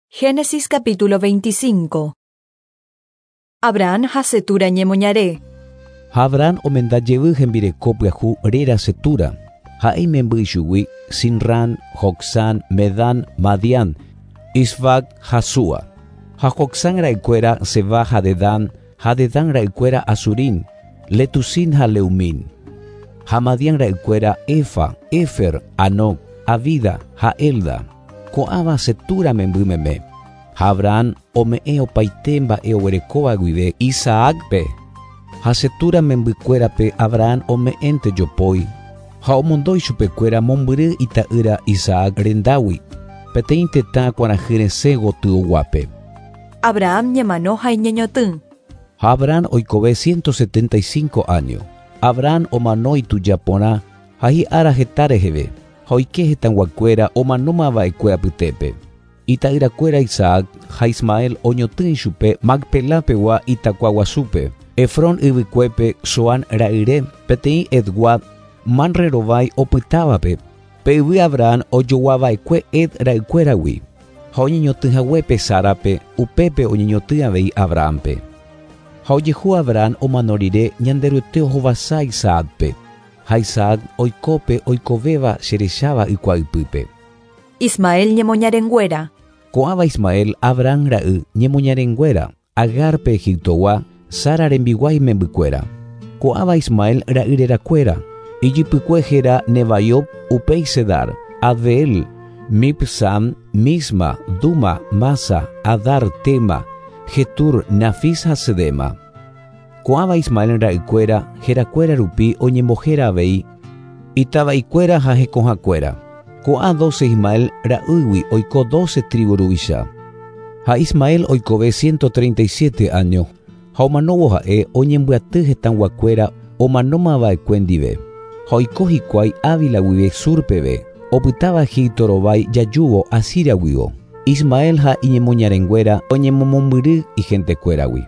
Génesis capítulo 25. Abraham ha Cetura ñemoñare. Ha Abraham omenda jevy hembireko pyahu réra Cetura, ha'e imemby ichugui Simrán, Jocsán, Medán, Madián, Isbac ha Súa. Ha Jocsán ra'ykuéra Sebá ha Dedán, ha Dedán ra'ykuéra Asurín, Letusín ha Leumín. Ha Madián ra'ykuéra Efa, Éfer, Hanoc, Abida ha Elda. Ko'ãva Cetura memby meme. Ha Abraham ome'ẽ opaite mba'e oguerekóva guive Isaácpe. Ha Cetura membykuérape Abraham ome'ẽnte jopói, ha omondo ichupekuéra mombyry ita'ýra Isaac rendágui, peteĩ tetã kuarahy resẽ gotyoguápe. Abraham ñemano ha iñeñotỹ. Ha Abraham oikove 175 áño. Abraham omano ituja porã ha hi'ára heta reheve, ha oike hetãguakuéra omanóma va'ekue apytépe. Ita'yrakuéra Isaac ha Ismael oñotỹ ichupe Macpelá pegua itakua guasúpe, Efrón yvykuépe Zoán ra'yre, peteĩ Hetgua Manre rovái opytávape, pe yvy Abraham ojogua va'ekue Het ra'ykuéragui. Ha oñeñotỹ haguépe Sárape, upépe oñeñotỹ avei Abrahámpe. Ha ojehu Abraham omano rire Ñanderuete ohovasa Isaácpe, ha Isaac oiko pe oikovéva cherecháva ykua ypýpe. Ismael ñemoñarenguéra. Ko'ãva Ismael, Abraham ra'y, ñemoñarenguéra, Agar pe Egiptogua, Sara rembiguái membykuéra. Ko'ãva Ismael ra'y rerakuéra, ijypykue héra Nebaiot, upéi Cedar, Adbeel, Mibsam, Misma, Duma, Masa, Hadar, Tema, Jetur, Nafis ha Cedema. Ko'ãva Ismael ra'ykuéra, herakuéra rupi oñembohéra avei itava'ikuéra ha hekohakuéra. Ko'ã dóse Ismael ra'ýgui oiko dóse trívu ruvicha. Ha Ismael oikove 137 áño, ha omanóvo ha'e oñembyaty hetãguakuéra omanóma va'ekue ndive. Ha oiko hikuái Ávila guive Sur peve, opytáva Egipto rovái jajúvo Asiria guio. Ismael ha iñemoñarenguéra oñemomombyry ihentekuéragui.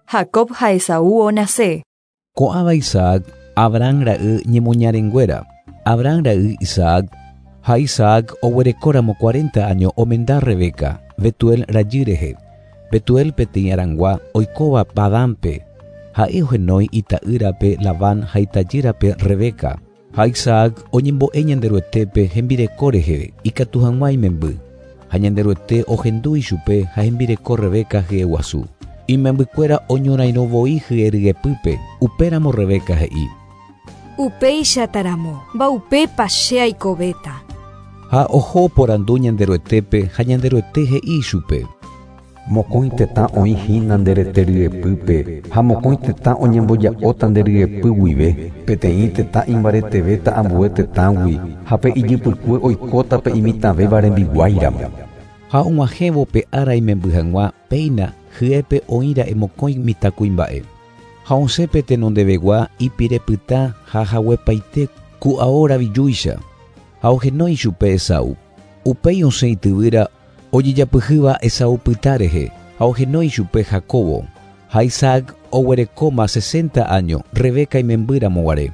Jacob ha Esaú onase. Ko'ãva Isaac, Abraham ra'y ñemoñarenguéra. Abraham ra'y Isaac, ha Isaac oguerekóramo cuarenta áño omenda Rebeca, Betuel rajy rehe. Betuel peteĩ Arangua oikóva Padánpe. Ha'e ohenói ita'ýrape Labán ha itajýrape Rebeca. Ha Isaac oñembo'e Ñanderuetépe hembireko rehe ikatu hag̃ua imemby. Ha Ñanderuete ohendu ichupe ha hembireko Rebeca hyeguasu. Imembykuéra oñorairõ voi hye ryepýpe, upéramo Rebeca he'i. Upéichataramo, mba'upépa che aikovéta. Ha oho oporandu Ñanderuetépe ha Ñanderuete he'i ichupe. Mokõi tetã oĩ hína nde rete ryepýpe, ha mokõi tetã oñemboja'óta nde ryepy guive. Peteĩ tetã imbaretevéta ambue tetãgui, ha pe ijypykue oikóta pe imitãvéva rembiguái ramo. Ha og̃uahẽvo pe ára imemby hag̃ua, péina, hyépe oĩra'e mokõi mitãkuimba'e. Ha osẽ pe tenondevegua ipire pytã ha haguepaite ku ao ravijúicha, ha ohenói ichupe Esaú. Upéi osẽ ityvýra Ojejapyhýva Esaú pytã rehe ha ohenói ichupe Jacóbo, ha Isaac oguerekóma sesenta áño Rebeca imemby ramo guare.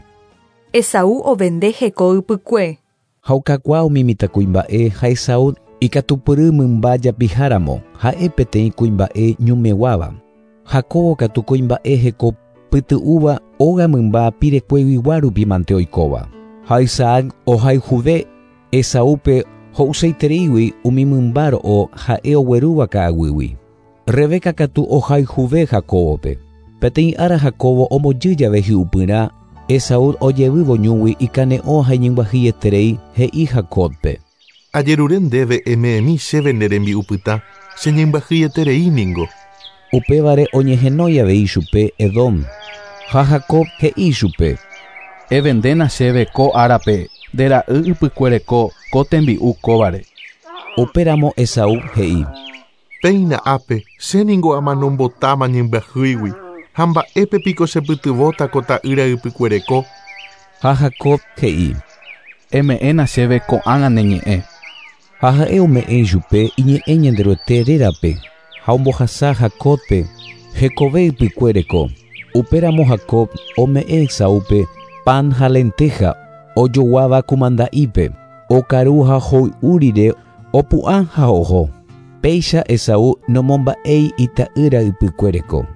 Esaú ovende heko ypykue. Ha okakuaa umi mitãkuimba'e ha Esaú ikatupyry mymba japiha ramo, ha'e peteĩ kuimba'e ñumeguáva. Jacóbo katu kuimba'e heko pyty'úva óga mymba pirekueguigua rupi mante oikóva. Ha Isaac ohayhuve Esaúpe ho'useitereígui umi mymba ro'o ha'e oguerúva ka'aguýgui. Rebeca katu ohayhuve Jacóbope. Peteĩ ára Jacóbo ombojy jave hi'upyrã, Esaú ojevývo ñúgui ikane'õ ha iñembyahýieterei, he'i Jacóbpe. Ajerure ndéve eme'ẽmi chéve ne rembi'upytã, che ñembyahýieterei ningo. Upévare oñehenói avei chupe Edom. Ha Jacob he'i chupe. Evendéna chéve ko árape nde ra'y ypykuereko ko tembi'u kóvare. Upéramo Esaú he'i. Péina ápe, che ningo amanombotáma ñembyahýigui, ha mba'épe piko chepytyvõta ko ta'ýra ypykuereko? Ha Jacob he'i. Eme'ẽna chéve ko'ág̃a ne ñe'ẽ. Ha ha'e ome'ẽ ichupe iñe'ẽ Ñanderuete rérape, ha ombohasa Jacóbpe hekove ypykue reko. Upéramo Jacob ome'ẽ Esaúpe pan ha lentéja ojoguáva kumanda'ípe, okaru ha hoy'u rire opu'ã ha oho. Péicha Esaú nomomba'éi ita'ýra ypykue reko.